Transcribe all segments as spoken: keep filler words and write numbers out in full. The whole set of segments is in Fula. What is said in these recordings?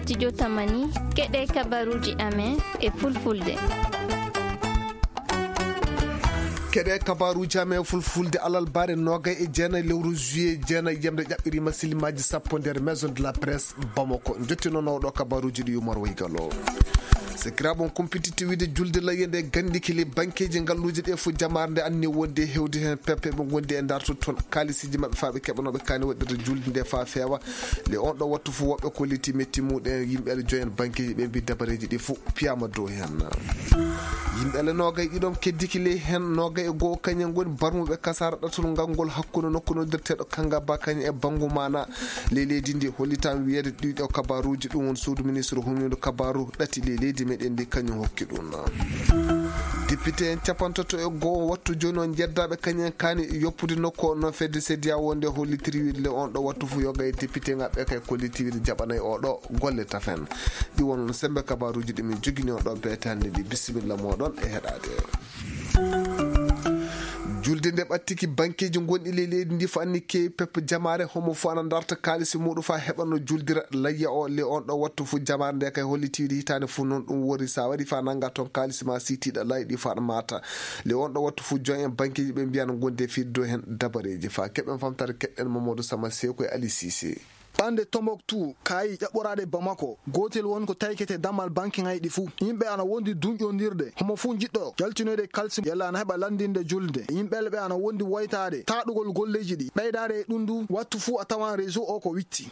Studio Tamani, keɗe kabaruuji amen e fulfulde. Keɗe kabaruuji amen e fulfulde, alarba, noogay e jeenayi lewru juillet, jeenayi yamde ƴaɓɓiriima silimaaji sappo nder Maison de la Presse Bamako. Njottino nawɗo kabaruuji ɗi Umar Waygalo. Sikiraaɓe, on kumpititti wiide julde layya nde gandikili bankeeji ngalluuje ɗe fof jamaare nde anni wonde e hewde heen peppe ɓe ngondi e darto toon kaalisiiji maɓɓe faa ɓe keɓanooɓe kaani waɗirde julde nde faa feewa. Le on ɗo wattu fof woɓɓe kolliti metti muɗen yimɓe ale joyen bankeeji ɓe mbi dabareeji ɗi fof piyaama dow heen. Yimɓe ale noogay ɗiɗon keddiki ley heen noogay e goo kañen ngoni barmuɓe kasaara ɗatal ngal ngol hakkunde nokku noddirteeɗo Kangaba kañum e banngu maana ley leydi ndi. Hollitaan wiyeede ɗiɗo kabaruuji ɗum won suudu ministre humindu kabaru ɗati ley leydi meɗen ndi kañum hokki ɗum. Député en capantato e goo wattu jooni on njeddaaɓe kañum en kaani yoppude nokku o noon fedde sediya wonde hollitiri wiide le on ɗo wattu fof yoga e député ngaɓɓe kay kolliti wiide jaɓanay o ɗo golle tafen. Ɗi won sembe kabaruuji ɗi min jogini on ɗo beete hannde ɗi. Bisimilla moɗon e heɗaade. Julde nde ɓattiki bankeeji gonɗi ley leydi ndi fof anni keewi peppe jamaare homo fof ana darta kaalisi muɗum faa heɓano juldira layya o le on ɗo wattu fof jamaare nde kay holliti wiide hitaande fof noon ɗum wori sa wari faa nannga toon kaalisi ma sitiiɗa layɗi faa ɗa maata. Le on ɗo wattu fof joyen bankeeji ɓe mbiyano gonde fiddo heen dabareeji faa keɓen famtare keɗɗen Mamadou Sama Seko e Ali Cissé. Ɓande Tombouctou, Kayi ƴaɓɓoraade Bamako, gootel won ko taykete dammal banke ŋayɗi fuu. Yimɓe ana wondi duñƴondirde, homo fuu jiɗɗo jaltinoyde kalsi yalla ana heɓa lanndinde julde. Yimɓe ɓe ana wondi woytaade taaɗugol golleeji ɗi. Ɓeydaade e ɗum du, wattu fuu a tawan réseau o ko witti.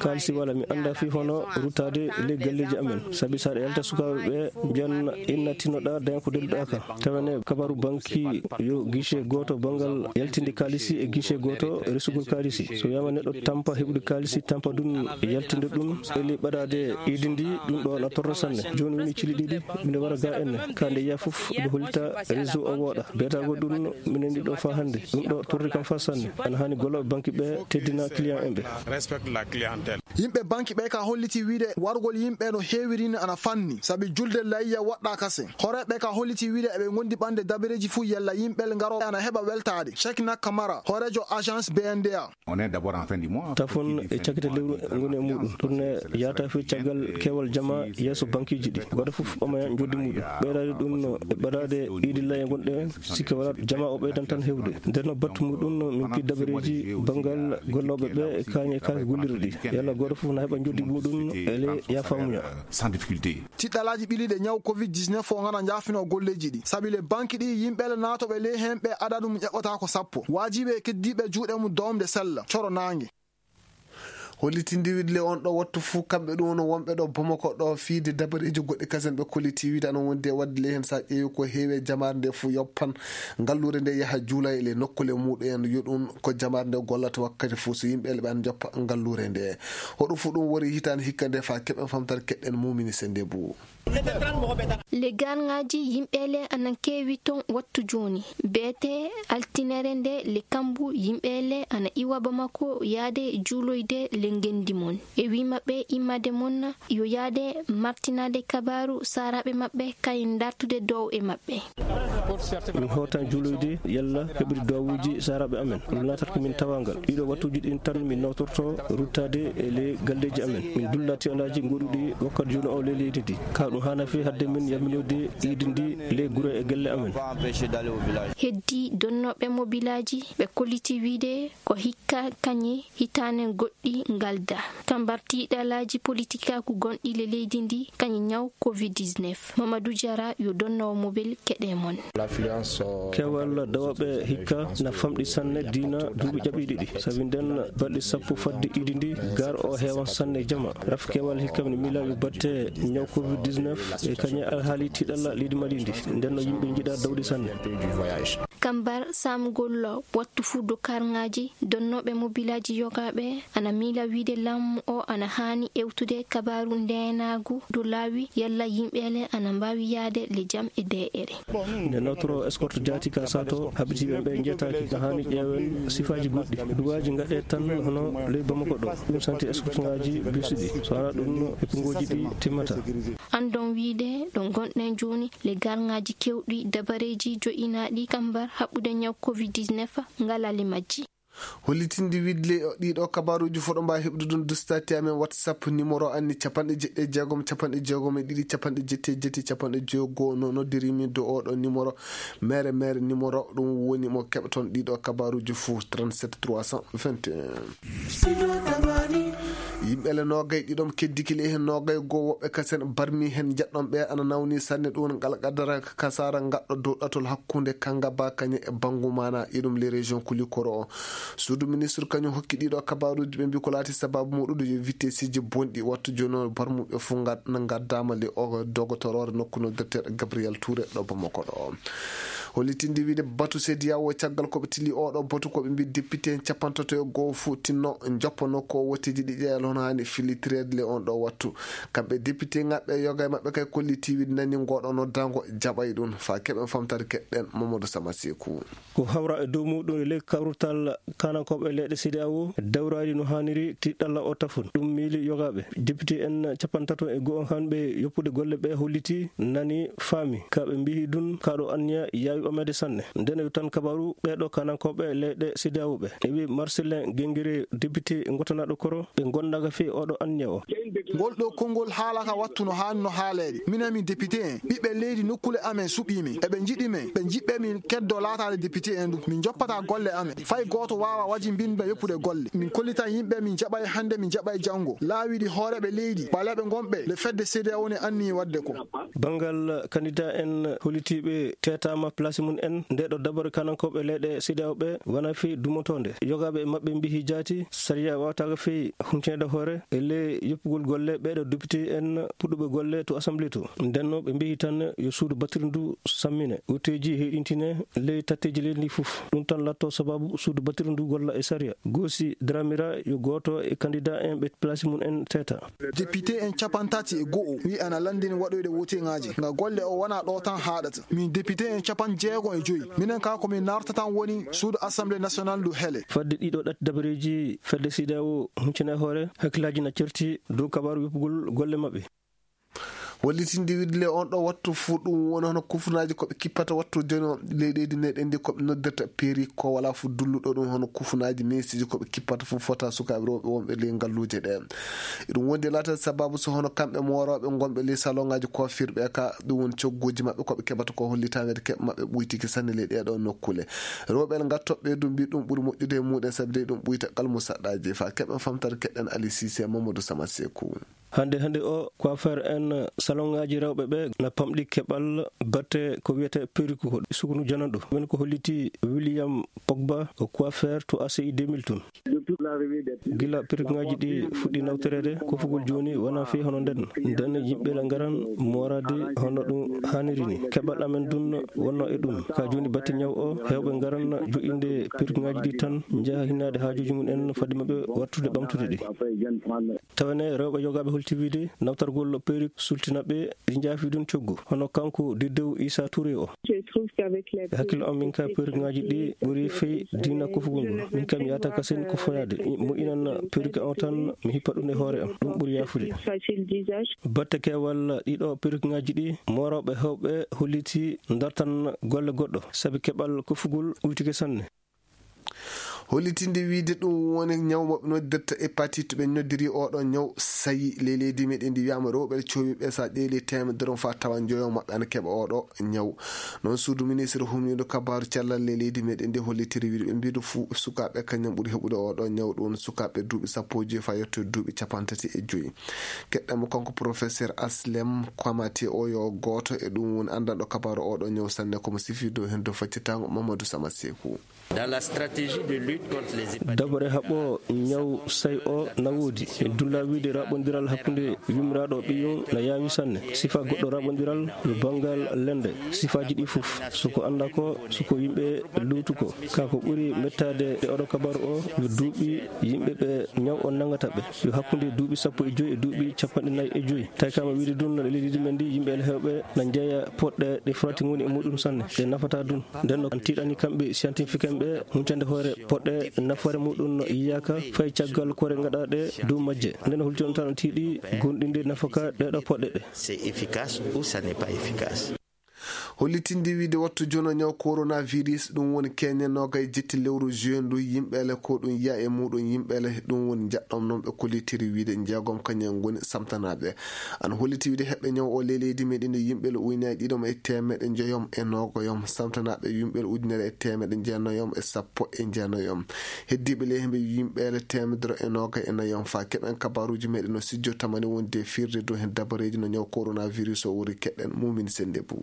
Kaalisi wala, mi annda fii hono ruttaade ley galleeji amen. Sabi so aɗa yalta sukaaɓe ɓe, mbiyan inna tinoɗaa, daña ko delluɗaa ka. Tawa ne kabaru banki yo guichet gooto banngal yaltinde kaalisi e guichet gooto resugol kaalisi. So wiyaama neɗɗo tampa heɓude kaalisi, tampa ɗum yaltinde ɗum e ley ɓadaade iidi ndi, ɗum ɗo na torra sanne. Jooni woni cili ɗiɗi, miɗo wara ga enne. Ka nde yaa fof, ɓe hollita réseau o wooɗa. Beetagol ɗum, minen ndi ɗo faa hannde. Ɗum ɗo torri kam faa sanne. Ana haani gollooɓe banki ɓe teddina client en ɓe. Respecte la clientèle. Yimɓe banki ɓe ka holliti wiide wargol yimɓe no heewiri ni ana fanni, sabi julde layya waɗɗa kase. Hooreeɓe ka holliti wiide eɓe ngondi ɓande dabareeji fuu yalla yimɓe ngaro ana heɓa weltaade. Cheikh Nakamara, hooreejo agence B N D A. On est d'abord en fin du mois. Tafon e cakite lewru ngoni e muɗum. Ɗum ne yaata fii caggal keewal jama yeeso bankiiji ɗi. Gooto fof ɓamaya njoddi muɗum. Ɓeydaade ɗum no e ɓadaade iidi layya gonɗe en, sikke wala jama o ɓeydan tan heewde. Nder no battu muɗum, min pi dabareeji banngal gollooɓe ɓe e kaañe e kaake gollirɗe ɗi. Yalla gooto fof na heɓa njoddi muɗum e ley yaafamuya. Sans difficulté. Tiɗɗalaaji ɓiliiɗe ñaw covid dix-neuf o ngana njaafino golleeji ɗi. Sabi le banki ɗi, yimɓe le naatooɓe ley heen ɓe adadu mum ƴaɓɓata ko sappo. Waajiɓe e keddiiɓe juuɗe mum doomde sella, coro naange. Hollitinde wiide le on ɗo wattu fuu, kamɓe ɗum woni wonɓe ɗo Bamako ɗo fiide dabareeji goɗɗi kasen ɓe kolliti wiide ana wondi e waɗde le heen so a ƴeewi ko heewi e jamaare nde fuu yoppan ngalluure nde yaha juula e le nokkule muɗum en yo ɗum ko jamaare nde gollata wakkati fuu so yimɓe le ɓe ana joppa ngalluure nde. Hoɗum fuu ɗum wori hitaande hikka nde faa keɓen famtare keɗɗen mumini sende buu. Le garŋaaji yimɓe le ana keewi toon wattu jooni. Beete altinere nde le kambu yimɓe le ana iwa Bamako yaade juuloyde le ngendi mon. E wii maɓɓe immade mon yo yaade martinaade kabaaru saaraaɓe maɓɓe kay dartude dow e maɓɓe. Min hootan juuloyde yalla heɓude duwawuuji saaraaɓe amen. Ɗum laatata ko min tawaangal. Ɗiɗo wattuuji ɗin tan min nawtorto ruttaade e le galleeji amen. Min dulla tiwalaaji goɗɗuɗi wakkati jooni o le leydi ndi. Ka ɗum haana fii hadde min yamminoyde iidi ndi le gure e gelle amen. Heddi donnooɓe mobilaaji ɓe kolliti wiide ko hikka kañe hitaane goɗɗi ngalda. Kambar tiiɗalaaji politikaaku gonɗi le leydi ndi kañe ñaw covid dix-neuf. Mamadou Diarra yo donnoowo mobil keɗe mon. Kewal dawooɓe hikka na famɗi sanne diina duuɓi ƴaɓiiɗi ɗi. Sabi nden balɗe sappo fadde iidi ndi, gar o heewan sanne jama. Raf kewal hikka ne mila yo batte ñaw covid dix-neuf e kañe alhaali tiiɗalla leydi Mali ndi. Nden no yimɓe njiɗa dawde sanne. Kambar saamugol wattu fuu dokarŋaaji, donnooɓe mobilaaji yogaaɓe ana miila wiide laamu o ana haani ewtude kabaaru ndeenaagu dow laawi yalla yimɓe le ana mbaawi yaade le jam e deeƴere. Nde nawtoro escorte jaati ka sato, haɓitiiɓe ɓe njetaaki, na haani ƴeewen sifaaji goɗɗi. Duwaaji ngaɗe tan hono ley Bamako ɗo. Ɗum santi escorte ngaaji bus ɗi. So alaa ɗum, e kongooji ɗi timmata. Anndon wiide ɗo ngonɗen jooni, le garŋaaji kewɗi dabareeji jo'inaaɗi kambar haɓɓude ñaw covid dix-neuf ngalaa le majji. Hollitinde wiɗle ɗiɗo kabaruuji fof ɗo mbaawi heɓde ɗum dustati amen WhatsApp numéro anni capanɗe jeɗɗi e jeegom, capanɗe jeegom e ɗiɗi, capanɗe jetti e jetti, capanɗe jeego. No noddirimi do oɗo numéro, mere mere numéro, ɗum woni mo keɓton ɗiɗo kabaruuji fof, trente-sept trois cent vingt et un. Yimɓe le noogay ɗiɗom keddiki le heen noogay goo woɓɓe kasen barmi heen njeɗɗom ɓe ana nawni sanne ɗum ngal qadara kasara ngaɗɗo dow ɗatol hakkunde Kangaba Kañe e Bangumana iɗum le région Kulikoro o. Suudu ministre kañum hokki ɗiɗo kabaruuji ɓe mbi ko laati sababu muɗum yo vitesiji bonɗi wattu jooni o barmuɓe fof ngad-, ngaddama le o dogotoroore nokku noddirteeɗo Gabriel Touré ɗo Bamako ɗo. Hollitinde wiide batu sediyawo caggal ko ɓe tili oɗo batu ko ɓe mbi député en capantato e goo fof tinno joppanoo ko wotteji ɗi ƴeeya hono hani filitreede le on ɗo wattu. Kamɓe député ngaɓɓe yoga e maɓɓe kay kolliti wiide nani ngoɗo noddango jaɓay ɗum fa keɓen famtare keɗɗen Mamadou Sama Sekou. Ko hawra e dow muɗum e ley kawrutal kanankooɓe leyɗe sediyawo dawraali no haaniri tiɗɗalla o tafon. Ɗum miili yogaaɓe. Député en capantato e go'o hanɓe yoppude golle ɓe holliti nani faami. Ka ɓe mbihi ɗum kaɗo anniya yaawi ɓamede sanne. Ndene yo tan kabaru ɓeɗo kanankooɓe leyɗe sediyawo ɓe. E wi Marcelin Gengere député gotanaaɗo koro ɓe gondaga fii oɗo anniya o. Ngol ɗo konngol haala ka wattu no haani no haaleede. Minen min député en, ɓiɓɓe leydi nokkule amen suɓii min. Eɓe njiɗi men, ɓe njiɗɓe min keddo laataade député en ɗum. Min njoppata golle amen. Fay gooto waawa waji mbinɓe yoppude golle. Min kollitan yimɓe min jaɓay hannde, min jaɓay janngo. Laawiɗi hooreeɓe leydi, ɓaleeɓe ngonɓe, le fedde sediyawo ne anniyi waɗde ko. Banngal kandida en hollitiiɓe teetaama place mum en, nde ɗo dabare kanankooɓe leyɗe sediyawo ɓe wona fii dumotoonde. Yogaaɓe e maɓɓe mbihi jaati, sariya waawataako fii huncinde hoore e ley yoppugol golle ɓeɗo député en puɗɗuɓe golle to assemblée to. Ndenno ɓe mbihi tan yo suudu batiri ndu sammine, wuteji heyɗintine ley tatteji leydi ndi fof. Ɗum tan latto sababu suudu batiri ndu golla e sariya. Goosi Dramira yo gooto e kandida en ɓe place mum en teeta. Député en capantati e go'o wi ana lanndini waɗoyde woteŋaaji. Nga golle o wona ɗo tan haaɗata. Min député en capanɗe jeego e joyi. Minen ka ko min nartatan woni suudu Assemblée nationale ndu hele. Fadde ɗiɗo ɗat dabareeji fedde sediyawo huncine hoore, hakkillaaji na certi dow kabaaru yoppugol golle maɓɓe. Wallitinde wiɗle on ɗo wattu fuu ɗum woni hono kufunaaji ko ɓe kippata wattu jono ley leydi meɗen ndi ko ɓe noddirta peeri ko wala fuu dulluɗo ɗum hono kufunaaji meesiji ko ɓe kippata fuu fota sukaaɓe rewɓe wonɓe ley ngalluuje ɗe. Ɗum wondi laata sababu so hono kamɓe moorooɓe ngonɓe ley salonŋaaji koofirɓe ka ɗum woni cogguuji maɓɓe ko ɓe keɓata ko hollitaande keɓ maɓɓe ɓuytiki sanne ley ɗeeɗo nokkule. Rewɓe ngattoɓe ɗum mbi ɗum ɓuri moƴƴude e muɗen sabi dey ɗum ɓuyta kalmu saɗɗaaji fa keɓen famtare keɗen Ali Sise Mamadou Sama Sekou. Hannde hannde o coiffeur en salonŋaaji rewɓe ɓe na pamɗi keɓal batte ko wiyete perruque ko sukunu jananɗo. Min ko holliti William Pogba o coiffeur to A C I deux mille tun. Gila perruqueŋaaji ɗi fuɗɗi nawtoreede kofugol jooni wona fii hono nden. Nden yimɓe la ngaran moorade hono ɗum haaniri ni. Keɓal amen dun wonno e ɗum. Ka jooni batte ñaw o hewɓe ngaran jo'inde perruqueŋaaji ɗi tan njaha hinnaade haajuuji mum en fadde maɓɓe wattude ɓamtude ɗi. Tawene rewɓe yogaaɓe holti wiide nawtargol perruque sultina ɓe ɗi njaafi ɗum coggu. Hono kanko Diddew Issa Touré o. E hakkille on min ka perruqueŋaaji ɗi ɓuri fey diina kofugol ngol. Min kam yahata kasen ko foyaade. Mo inan perruque on tan mi hippa ɗum e hoore am. Ɗum ɓuri yaafude. Batte keewal ɗiɗo perruqueŋaaji ɗi moorooɓe hewɓe holliti dartan golle goɗɗo. Sabi keɓal kofugol ɓuytike sanne. Hollitinde wiide ɗum woni ñaw mo ɓe noddirta hépatite ɓe noddiri oɗo ñaw sayi ley leydi meɗen ndi wiyama rewɓe cowi ɓe sa ƴeeli temedere on fa tawa joyo maɓɓe ana keɓa oɗo ñaw. Noon suudu ministre humniiɗo kabaaru cellal ley leydi meɗen ndi hollitiri wiide ɓe mbiɗo fuu sukaaɓe kañum ɓuri heɓude oɗo ñaw ɗum sukaaɓe duuɓi sappo e joyi fa yetto duuɓi capantati e joyi. Keɗɗamo kanko professeur Aslem Kwamate o yo gooto e ɗum woni anndanɗo kabaaru oɗo ñaw sanne komo sifi dow heen dow faccitango Mamadou Sama Sekou. Dans la stratégie de lutte contre les hépatites. Dabare haɓɓo ñaw say o na woodi. Min dulla wiide raɓondiral hakkunde yumiraɗo ɓiyum na yaawi sanne. Sifa goɗɗo raɓondiral yo banngal lende. Sifaaji ɗi fof, so ko annda ko, so ko yimɓe luutu ko. Ka ko ɓuri mettaade e oɗo kabaru o, yo duuɓi yimɓe ɓe ñaw o nangata ɓe. Yo hakkunde duuɓi sappo e joyi e duuɓi capanɗe nayi e joyi. Tawi kama wiide ɗum no leydi men ndi, yimɓe hewɓe na njeeya poɗɗe ɗe frati ngoni e muɗum sanne. Ɗe nafata ɗum. Nden no an tiiɗani kamɓe scientifique en ɓe, huncande hoore poɗɗe nafoore muɗum no yiyaaka fay caggal kore ngaɗaɗe dow majje. Nden no hulti on tan tiiɗi gonɗinde nafaka ɗeɗo poɗɗe ɗe. C'est efficace ou ça n'est pas efficace. Hollitindi wiide wattu jono ñaw coronavirus, ɗum woni keñe noogay jetti lewru juin ndu, yimɓeele ko ɗum yiya e muɗum yimɓeele, ɗum woni njaɗɗom noon ɓe kollitiri wiide jeegom kañum ngoni samtanaaɓe. Ana holliti wiide heɓɓe ñaw o ley leydi meɗen ndi yimɓeele ujunere ɗiɗom e teemeɗe njoyom e noogoyom, samtanaaɓe yimɓeele ujunere e teemeɗe jeenayoom e sappo e jeenayoom. Heddiiɓe ley hemɓe yimɓeele teemedere e noogay e nayom. Fa keɓen kabaruuji meɗen no sijjo tamani wonde firde dow heen dabareeji no ñaw coronavirus o wori keɗen Mumin Sende Bou.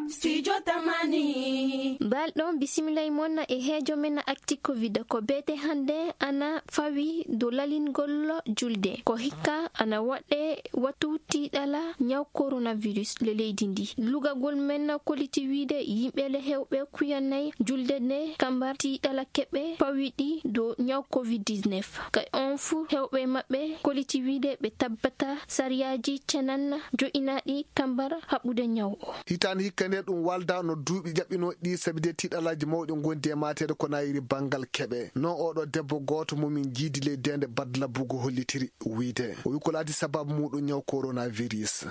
Studio Tamani. Mbalɗon bisimilla e mon e heejo men Actu Covid. Ko beete hannde ana fawi dow lalingol julde. Ko hikka ana waɗe wattu tiiɗala ñaw coronavirus le leydi ndi. Lugagol men kolliti wiide yimɓeele hewɓe kuyanay julde nde kambar tiiɗala keɓe pawiɗi dow ñaw covid dix-neuf. Ka on fuu hewɓe maɓɓe kolliti wiide ɓe tabbata sariyaaji cenan jo'inaaɗi kambar haɓude ñaw o. Hitaande hikka nde ɗum walda no duuɓi jaɓɓinooɗi ɗi, sabi de tiiɗalaaji mawɗi ngondi e maateede ko nayiri banngal keɓe. No oɗo debbo gooto mo min jiidi ley deende Badla Bugo hollitiri wiide. O wi ko laati sababu muɗum ñaw coronavirus.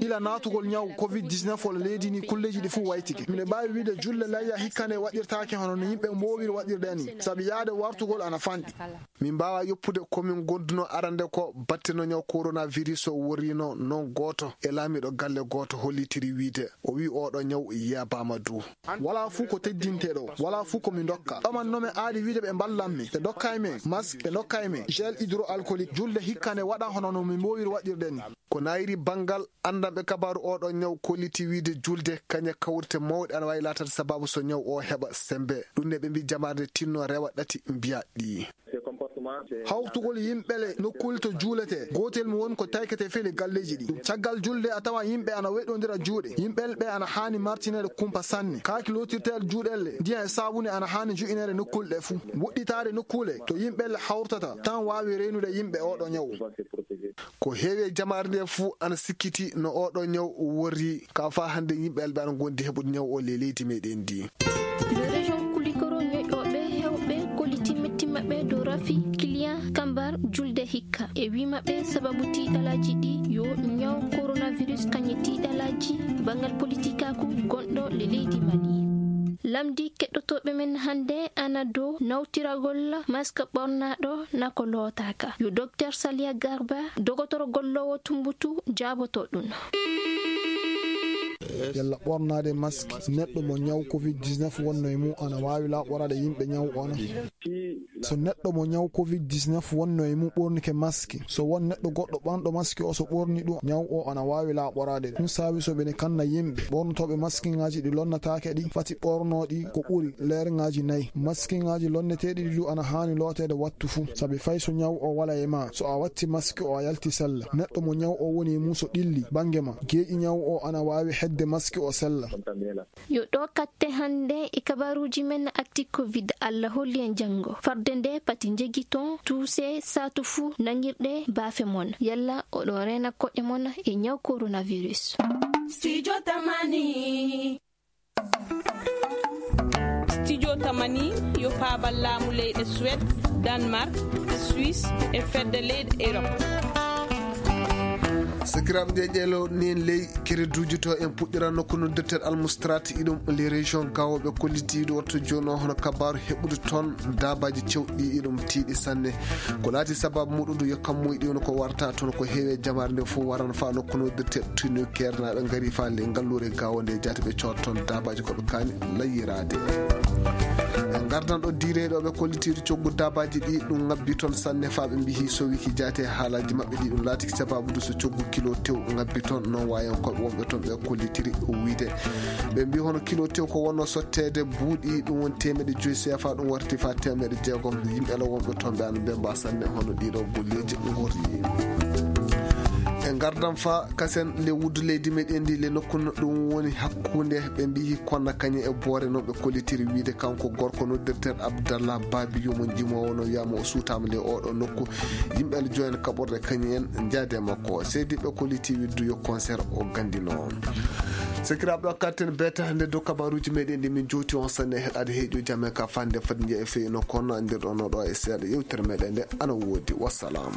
Ila naatugol ñaw covid dix-neuf o leydi ni, kulleeji ɗi fuu waytike. Miɗo mbaawi wiide julle layya hikka nde waɗirtaake hono no yimɓe mboowiri waɗirde ni, sabi yaade wartugol ana fanɗi. Min mbaawa yoppude ko min gonduno arande ko batte no ñaw coronavirus o worrino non gooto e laamiiɗo galle gooto hollitiri wiide. O wi oɗo ñaw yeebaama du. Wala fuu ko teddinte ɗo, wala fuu ko mi ndokka. Ɗoman no mi aadi wiide ɓe mballan mi, ɓe ndokkay mi masque, ɓe ndokkay mi gel hydroalcoolique. Julde hikka nde waɗa hono no mi mboowiri waɗirde ni. Ko nayiri banngal anndanɓe kabaaru oɗo ñaw kolliti wiide julde kañe kawrite mawɗe ana waawi laatade sababu so ñaw o heɓa sembe. Ɗum ne ɓe mbi jamaare nde tinno rewa ɗati mbiya ɗi. Hawtugol yimɓe le nokkuuli to juuletee, gootel mum woni ko tayketee fii le galleeji ɗi. Caggal julde a tawa yimɓe ana weɗondira juuɗe. Yimɓe ɓe ana haani martineede kumpa sanne. Kaaki lootirteeɗe juuɗe le, ndiyan e saabuni ana haani jo'ineede nokkuule ɗe fuu. Woɗɗitaade nokkuule to yimɓe le hawrtata tan waawi reenude yimɓe oɗo ñaw. Ko heewi e jamaare nde fuu ana sikkiti no oɗo ñaw worri, ka faa hannde yimɓe alɓe ana ngondi heɓude ñaw o le leydi meɗen ndi. Yo région Kulikoro ñoƴooɓe hewɓe kolliti metti maɓɓe dow rafi client kambar julde hikka. E wi maɓɓe sababu tiiɗalaaji ɗi yo ñaw coronavirus kañe tiiɗalaaji banngal politikaaku gonɗo le leydi Mali. Lamdi keɗotooɓe men hannde ana dow nawtiragol masque ɓornaaɗo na ko lootaaka. Yo Docteur Salia Garba, dogotoro golloowo Tumbutu, jaaboto ɗum. Yalla ɓornaade masque neɗɗo mo ñaw covid dix-neuf wonno e mum ana waawi laaɓoraade yimɓe ñaw o na? So neɗɗo mo ñaw covid dix-neuf wonno e mum ɓornike masque, so won neɗɗo goɗɗo ɓanɗo masque o so ɓorni ɗum, ñaw o ana waawi laaɓoraade. Ɗum saabi so ɓe ne kanna yimɓe ɓornotooɓe maskiŋaaji ɗi lonnataake ɗi, fati ɓorno ɗi ko ɓuri leerŋaaji nayi. Maskiŋaaji lonneteeɗi ɗi du ana haani looteede wattu fuu, sabi fay so ñaw o wala e ma, so a watti maski o a yalti sella. Neɗɗo mo ñaw o woni e mum so ɗilli bannge ma, geeƴi ñaw o ana waawi hedde maski o sella. Yo ɗo katte hannde e kabaruuji men Actu Covid. Allah holli en janngo. Farde nde pati njegiton tuuse saatu fuu nangirɗe baafe mon. Yalla oɗo reena koɗe mon e ñaw coronavirus. Studio Tamani. Studio Tamani yo paabal laamu leyɗe Suède, Danemark, Suisse e fedde leyɗe Europe. Sakiraaɓe, nde ƴeelo nen ley kereduuji to en puɗɗira nokku noddirteeɗo Almustrat iɗum les régions gawo ɓe kolliti iɗo wattu jooni o hono kabaaru heɓude toon daabaaji cewɗi iɗum tiiɗi sanne. Ko laati sababu muɗum du yo kammuy ɗi woni ko warata toon ko heewi e jamaare nde fof warano faa nokku noddirteeɗo tinu keernaaɓe ngari faa le ngalluure gawo nde jaati ɓe coota toon daabaaji ko ɓe kaani layyiraade. En ngardan ɗo diireyɗo ɓe kollitiiɗo coggu daabaaji ɗi ɗum ngabbi toon sanne faa ɓe mbihi so wiki jaate haalaaji maɓɓe ɗi ɗum laatiki sababu du so coggu kilo tew ngabbi toon noon waayankooɓe wonɓe toon ɓe kollitiri wiide ɓe mbi hono kilo tew ko wonno sotteede buuɗi ɗum woni teemeɗe joyi seefa ɗum warti faa teemeɗe jeegom yimɓe ala wonɓe toon ɓe ana mbemba sanne hono ɗiɗo golleeji ngorri. En ngardan faa kasen le wuddu leydi meɗen ndi le nokku no ɗum woni hakkunde ɓe mbiyi konna kañe e boore noon ɓe kollitiri wiide kanko gorko noddirteeɗo Abdallah Babiyo mo jimoowo no wiyama o suutaama le oɗo nokku yimɓe ala joyen kaɓorde kañum en njaade makko seydi ɓe kolliti widdu yo concert o gandino. Sakiraaɓe o katten beeta hannde dow kabaruuji meɗen ɗi min jowti on sanne heɗaade heeƴo jam e ka fande fadi njeya e feyi no kono anndirɗon no ɗo e seeɗa yewtere meɗen nde ana woodi wassalam.